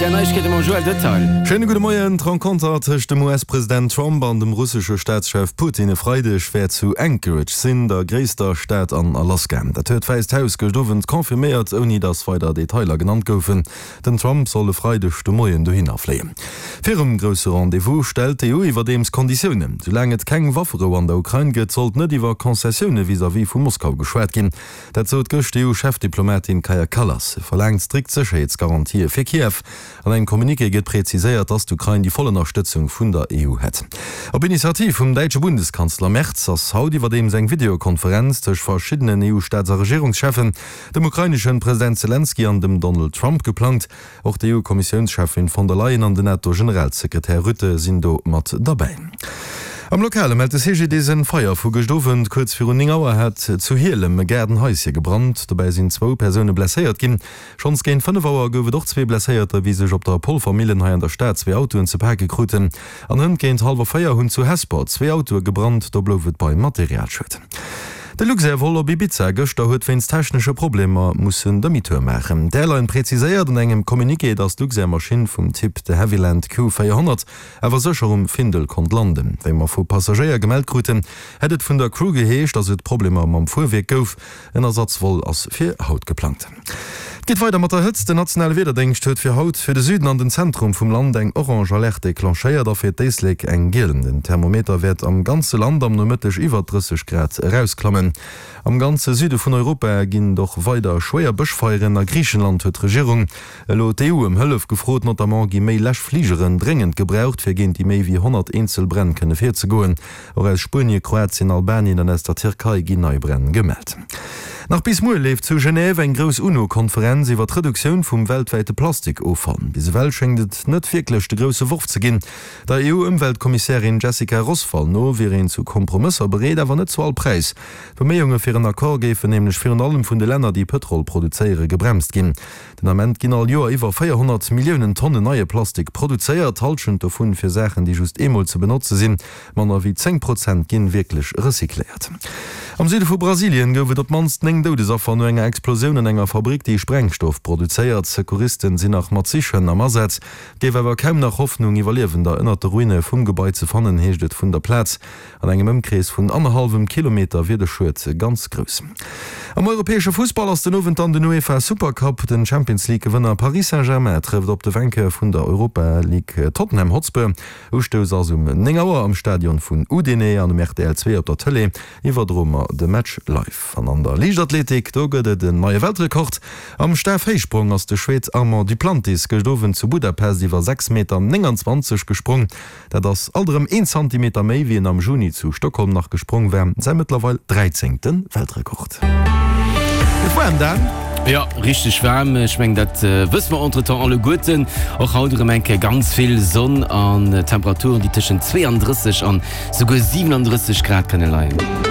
Där Neiegkeete mam Joël Detail. Schéine gudde Moien. D'Renconter tëscht dem US-President Trump an dem russesche Staatschef Putin e Freideg wäert zu Anchorage sinn, der gréisster Stad an Alaska. Dat huet d'Wäisst Haus gëscht Owend confirméiert, ouni datt weider Detailer genannt goufen. Den Trump soll e Freideg de Moien dohinner fléien. Virum grousse Rendez-vous stellt d'EU iwwerdeems Konditiounen. Soulaang et keng Wafferou an der Ukrain gëtt, sollt net iwwer Concessioune vis-à-vis vu Moskau geschwat ginn. Dat sot gëscht d'EU-Chefdiplomatin Kaja Kallas. Se verlaangt strikt Sécherheetsgarantië fir Kiew. An engem Communiqué gëtt präziséiert, datt d'Ukrain déi voll Ënnerstëtzung vun der EU hätt. Op Initiativ vum däitsche Bundeskanzler Merz ass haut iwwerdeems eng Videokonferenz tëscht verschiddenen EU-Staats a Regierungscheffen, dem ukraineschen President Selenskyj an dem Donald Trump geplangt. Och d'EU-Kommissiounscheffin von der Leyen an den NATO-Generalsekretär Rutte sinn do mat derbäi. Am Lokale mellt de CGDIS en Feier vu gëscht Owend. Kuerz virun 9 Auer hat zu Hielem e Gaardenhaische gebrannt. Dobäi sinn zwou Persoune blesséiert ginn. Schonns géint 5 Auer gouf et och zwee Blesséierter, wéi sech op der Polvermillen hei an der Stad zwee Autoen ze pake kruten. An hënt géint hallwer 4 hunn zu Hesper zwee Autoe gebrannt, do blouf et bei Materialschued. De Luxair-Vol op Ibiza gëschter huet wéinst technesche Problemer mussen Demi-tour maachen. D'Airline präziséiert an engem Communiqué, datt d'Luxair-Maschinn vum Typ de Havilland Q400 awer sécher um Findel konnt landen. Wéi mer vu Passagéier gemellt kruten, hätt et vun der Crew geheescht, datt et Problemer mam Fuerwierk gouf. En Ersatzvol ass fir haut geplangt. Et geet weider mat der Hëtzt. Den nationale Wiederdéngscht huet fir haut fir de Süden an den Zentrum vum Land eng orange Alerte declenchéiert a fir d'Éislek eng giel. Den Thermometer wäert am ganze Land am Nomëtteg iwwer 30 Grad erausklammen. Am ganze Süde vun Europa ginn et och weider schwéier Bëschfeieren. A Griichenland huet d'Regierung elo d'EU ëm Hëllef gefrot. Notamment gi méi Läschfligeren dréngend gebraucht, fir géint déi méi wéi 100 eenzel Bränn kënne virzegoen. Och aus Spuenie, Kroatien, Albanien an aus der Tierkei ginn nei Bränn gemellt. Nach bis muer leeft zu Genève eng grouss UNO-Konferenz iwwer d'Reduktioun vum weltwäite Plastikoffall. Bis ewell schéngt et net wierklech de grousse Worf ze ginn. Der EU-Ëmweltkommissärin Jessica Roswall no wier een zu Kompromësser bereet, awer net zu all Präis. D'Beméiunge fir en Accord géifen nämlech virun allem vun de Länner, déi Pëtrol produzéiere, gebremst ginn. Den Ament ginn all Joer iwwer 400 Milliounen Tonnen neie Plastik produzéiert, d'Hallschent dovun fir Saachen, déi just eemol ze benotze sinn. Manner wéi 10 Prozent ginn wierklech recycléiert. Am Süde vu Brasilien gouf et op d'mannst 9 Doudesaffer no enger Explosioun an enger Fabrick, déi Sprengstoff produzéiert. Secouristen sinn nach mat Sichhënn am Asaz. Et géif awer kaum nach Hoffnung, Iwwerliewender ënnert de Ruine vum Gebai ze fannen, heescht et vun der Plaz. An engem Ëmkrees vun annerhallwem Kilometer wier de Schued ganz grouss. Am europäesche Fussball ass den Owend dann den UEFA Supercup. Den Champions League Gewënner Paris Saint-Germain trëfft op de Vainqueur vun der Europa League Tottenham Hotspur. Ustouss ass um 9 Auer am Stadion vun Udine an um rtl 2 op der Tëlee iwwerdroe mer de Match live. An an der Liichtathletik, do gëtt et en neie Weltrekord. Am Stafhéichsprong ass de Schwed Armand Duplantis gëscht Owend zu Budapest iwwer 6 Meter 29 gesprong. Dat ass alt erëm een Zantimeter méi, wéi en am Juni zu Stockholm nach gesprong war, säi mëttlerweil dräizéngte Weltrekord. Gëtt waarm, Dan? Jo, richteg waarm. Ech mengen, dat wësse mer entretemps alleguerten. Och haut erëm eng Kéier ganz vill Sonn an Temperaturen, déi tëschent 32 an souguer 37 Grad kënne leien.